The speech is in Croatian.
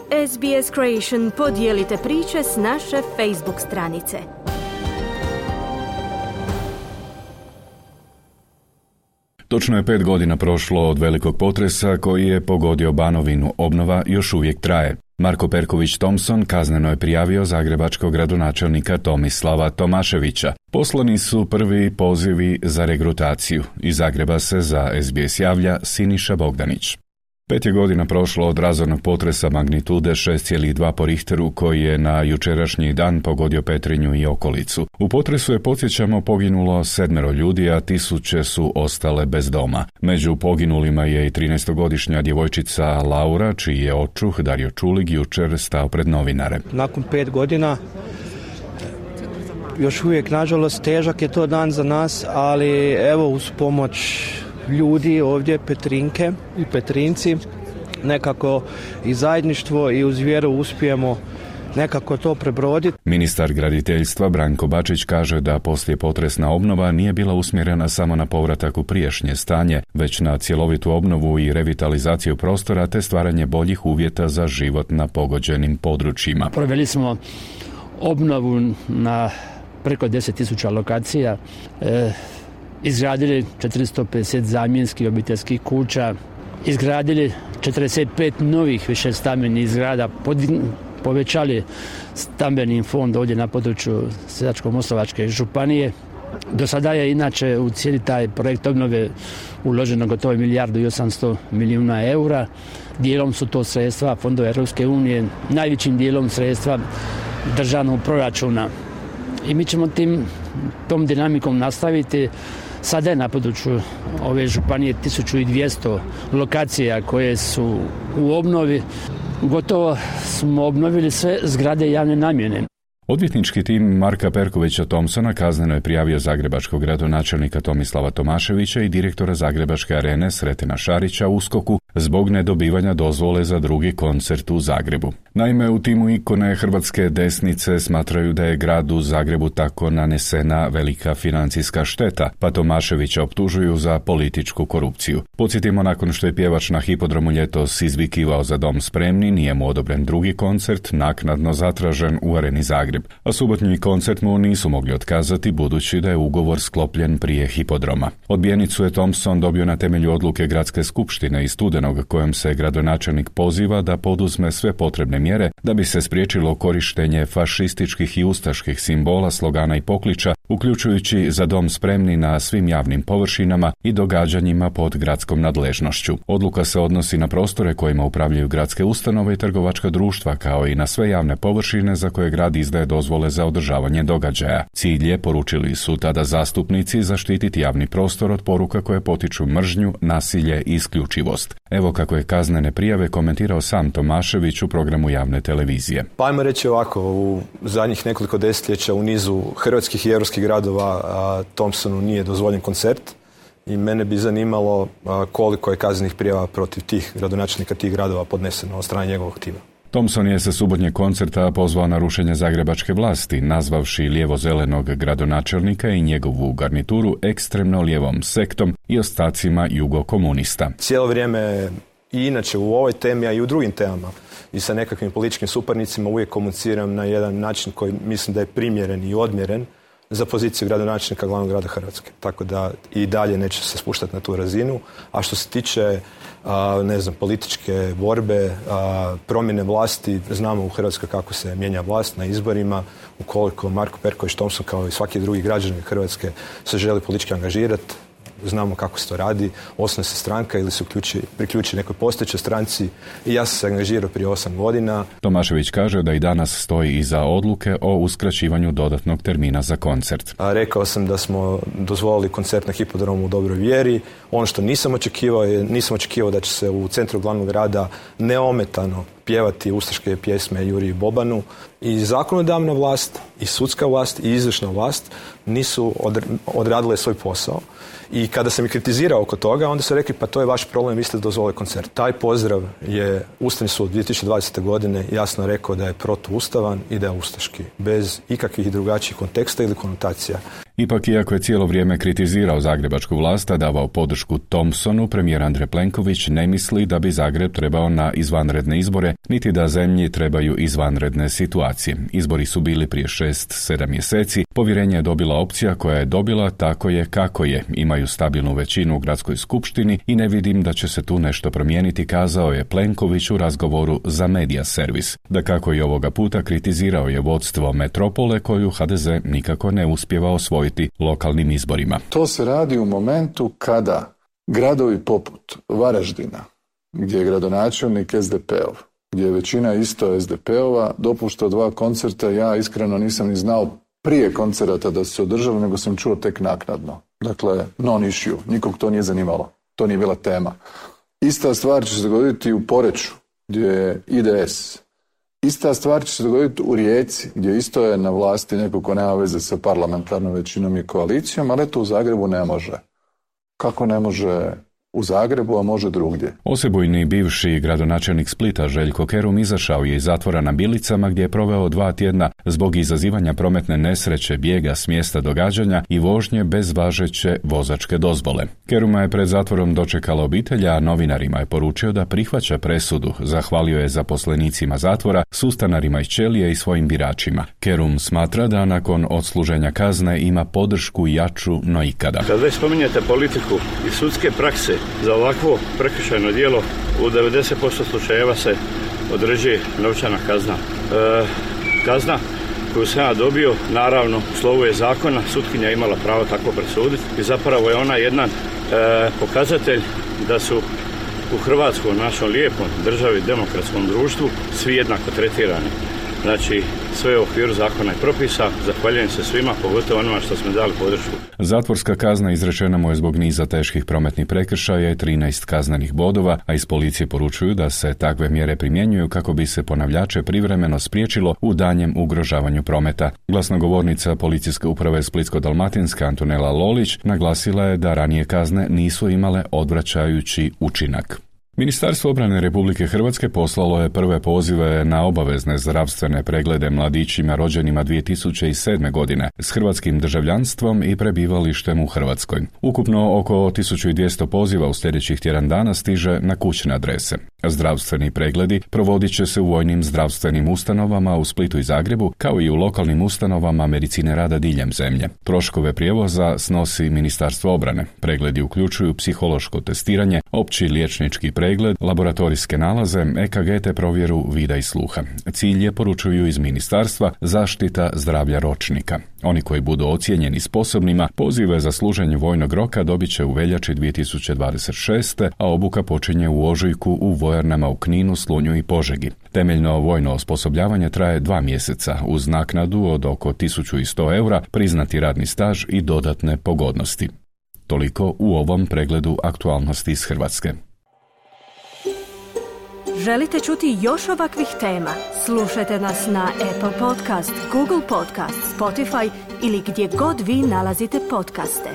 SBS Creation podijelite priče s naše Facebook stranice. Točno je 5 godina prošlo od velikog potresa koji je pogodio Banovinu. Obnova još uvijek traje. Marko Perković Thompson kazneno je prijavio zagrebačkog gradonačelnika Tomislava Tomaševića. Poslani su prvi pozivi za regrutaciju. Iz Zagreba se za SBS javlja Siniša Bogdanić. 5 je godina prošlo od razornog potresa magnitude 6,2 po Richteru koji je na jučerašnji dan pogodio Petrinju i okolicu. U potresu je, podsjećamo, poginulo 7 ljudi, a tisuće su ostale bez doma. Među poginulima je i 13-godišnja djevojčica Laura, čiji je očuh Dario Čulig jučer stao pred novinare. Nakon 5 godina, još uvijek, nažalost, težak je to dan za nas, ali evo, uz pomoć ljudi ovdje, Petrinke i Petrinci, nekako i zajedništvo i uz vjeru uspijemo nekako to prebroditi. Ministar graditeljstva Branko Bačić kaže da poslijepotresna obnova nije bila usmjerena samo na povratak u prijašnje stanje, već na cjelovitu obnovu i revitalizaciju prostora te stvaranje boljih uvjeta za život na pogođenim područjima. Proveli smo obnovu na preko 10.000 lokacija, izgradili 450 zamjenskih obiteljskih kuća, izgradili 45 novih višestambenih zgrada, povećali stambeni fond ovdje na području Sisačko-moslavačke županije. Do sada je inače u cijeli taj projekt obnove uloženo gotovo 1,8 milijardi eura. Dijelom su to sredstva fondova Europske unije, najvećim dijelom sredstva državnog proračuna. I mi ćemo tom dinamikom nastaviti. Sada je na području ove županije 1200 lokacija koje su u obnovi. Gotovo smo obnovili sve zgrade javne namjene. Odvjetnički tim Marka Perkovića Thompsona kazneno je prijavio zagrebačkog gradonačelnika Tomislava Tomaševića i direktora Zagrebačke arene Sretena Šarića USKOK-u zbog nedobivanja dozvole za drugi koncert u Zagrebu. Naime, u timu ikone hrvatske desnice smatraju da je gradu Zagrebu tako nanesena velika financijska šteta, pa Tomaševića optužuju za političku korupciju. Podsjetimo, nakon što je pjevač na hipodromu ljetos izvikivao za Dom spremni, nije mu odobren drugi koncert, naknadno zatražen u areni Zagreb. A subotnji koncert mu nisu mogli otkazati budući da je ugovor sklopljen prije hipodroma. Odbijenicu je Thompson dobio na temelju odluke gradske skupštine iz studenog kojom se gradonačelnik poziva da poduzme sve potrebne mjere da bi se spriječilo korištenje fašističkih i ustaških simbola, slogana i pokliča, uključujući za Dom spremni na svim javnim površinama i događanjima pod gradskom nadležnošću. Odluka se odnosi na prostore kojima upravljaju gradske ustanove i trgovačka društva, kao i na sve javne površine za koje grad izdaje dozvole za održavanje događaja. Cilj je, poručili su tada zastupnici, zaštititi javni prostor od poruka koje potiču mržnju, nasilje i isključivost. Evo kako je kaznene prijave komentirao sam Tomašević u programu javne televizije. Pa ajmo reći ovako, u zadnjih nekoliko desetljeća u nizu hrvatskih i europskih gradova Thompsonu nije dozvoljen koncert i mene bi zanimalo koliko je kaznenih prijava protiv tih gradonačelnika tih gradova podneseno od strane njegovog tima. Thompson je sa subotnjeg koncerta pozvao na rušenje zagrebačke vlasti, nazvavši lijevo-zelenog gradonačelnika i njegovu garnituru ekstremno lijevom sektom i ostacima jugokomunista. Cijelo vrijeme i inače u ovoj temi, a i u drugim temama i sa nekakvim političkim suparnicima uvijek komuniciram na jedan način koji mislim da je primjeren i odmjeren za poziciju gradonačelnika glavnog grada Hrvatske. Tako da i dalje neće se spuštati na tu razinu. A što se tiče političke borbe, promjene vlasti, znamo u Hrvatskoj kako se mijenja vlast na izborima. Ukoliko Marko Perković Thompson kao i svaki drugi građanin Hrvatske se želi politički angažirati, znamo kako se to radi, osnuje se stranka ili se priključi nekoj postojećoj stranci i ja sam se angažirao prije 8 godina. Tomašević kaže da i danas stoji iza odluke o uskraćivanju dodatnog termina za koncert. Rekao sam da smo dozvolili koncert na hipodromu u dobroj vjeri. Ono što nisam očekivao da će se u centru glavnog grada neometano pjevati ustaške pjesme Juriji Bobanu. I zakonodavna vlast, i sudska vlast, i izvršna vlast nisu odradile svoj posao. I kada sam ih kritizirao oko toga, onda su rekli pa to je vaš problem, vi ste dozvolili koncert. Taj pozdrav je Ustavni sud 2020. godine jasno rekao da je protuustavan i da je ustaški, bez ikakvih drugačijih konteksta ili konotacija. Ipak, iako je cijelo vrijeme kritizirao zagrebačku vlast, a davao podršku Thompsonu, premijer Andrej Plenković ne misli da bi Zagreb trebao na izvanredne izbore, niti da zemlji trebaju izvanredne situacije. Izbori su bili prije 6-7 mjeseci, povjerenje je dobila opcija koja je dobila tako je kako je, imaju stabilnu većinu u gradskoj skupštini i ne vidim da će se tu nešto promijeniti, kazao je Plenković u razgovoru za Media Servis. Dakako i ovoga puta kritizirao je vodstvo metropole koju HDZ nikako ne uspijeva osvojiti lokalnim izborima. To se radi u momentu kada gradovi poput Varaždina, gdje je gradonačelnik SDP-ov, gdje je većina isto SDP-ova, dopušta 2 koncerta, ja iskreno nisam ni znao prije koncerata da su se održali, nego sam čuo tek naknadno. Dakle, non issue, nikog to nije zanimalo, to nije bila tema. Ista stvar će se dogoditi u Poreču, gdje je IDS. Ista stvar će se dogoditi u Rijeci, gdje isto je na vlasti neko ko nema veze sa parlamentarnom većinom i koalicijom, ali eto u Zagrebu ne može. Kako ne može u Zagrebu, a može drugdje? Osebujni bivši gradonačelnik Splita Željko Kerum izašao je iz zatvora na Bilicama gdje je proveo 2 tjedna zbog izazivanja prometne nesreće, bijega s mjesta događanja i vožnje bez važeće vozačke dozvole. Keruma je pred zatvorom dočekala obitelj, a novinarima je poručio da prihvaća presudu. Zahvalio je zaposlenicima zatvora, sustanarima iz ćelije i svojim biračima. Kerum smatra da nakon odsluženja kazne ima podršku jaču no ikada. Kad već spominjete politiku i sudske prakse, za ovakvo prekršajno djelo u 90% slučajeva se određuje novčana kazna. Kazna koju sam ja dobio, naravno, u slovu je zakona, sutkinja imala pravo tako presuditi i zapravo je ona jedan pokazatelj da su u Hrvatskoj, našom lijepom državi, demokratskom društvu, svi jednako tretirani. Znači, sve u okviru zakona i propisa. Zahvaljujem se svima, pogotovo onima što smo dali podršku. Zatvorska kazna izrečena mu je zbog niza teških prometnih prekršaja i 13 kaznenih bodova, a iz policije poručuju da se takve mjere primjenjuju kako bi se ponavljače privremeno spriječilo u danjem ugrožavanju prometa. Glasnogovornica policijske uprave Splitsko-dalmatinska Antonela Lolić naglasila je da ranije kazne nisu imale odvraćajući učinak. Ministarstvo obrane Republike Hrvatske poslalo je prve pozive na obavezne zdravstvene preglede mladićima rođenima 2007. godine s hrvatskim državljanstvom i prebivalištem u Hrvatskoj. Ukupno oko 1200 poziva u sljedećih tjedan dana stiže na kućne adrese. Zdravstveni pregledi provodit će se u vojnim zdravstvenim ustanovama u Splitu i Zagrebu, kao i u lokalnim ustanovama medicine rada diljem zemlje. Troškove prijevoza snosi Ministarstvo obrane. Pregledi uključuju psihološko testiranje, opći liječnički pregled, laboratorijske nalaze, EKG te provjeru vida i sluha. Cilj je, poručuju iz ministarstva, zaštita zdravlja ročnika. Oni koji budu ocijenjeni sposobnima, pozive za služenje vojnog roka dobit će u veljači 2026. a obuka počinje u ožujku u vojarnama u Kninu, Slunju i Požegi. Temeljno vojno osposobljavanje traje 2 mjeseca uz naknadu od oko 1100 eura, priznati radni staž i dodatne pogodnosti. Toliko u ovom pregledu aktualnosti iz Hrvatske. Želite čuti još ovakvih tema? Slušajte nas na Apple Podcast, Google Podcast, Spotify ili gdje god vi nalazite podcaste.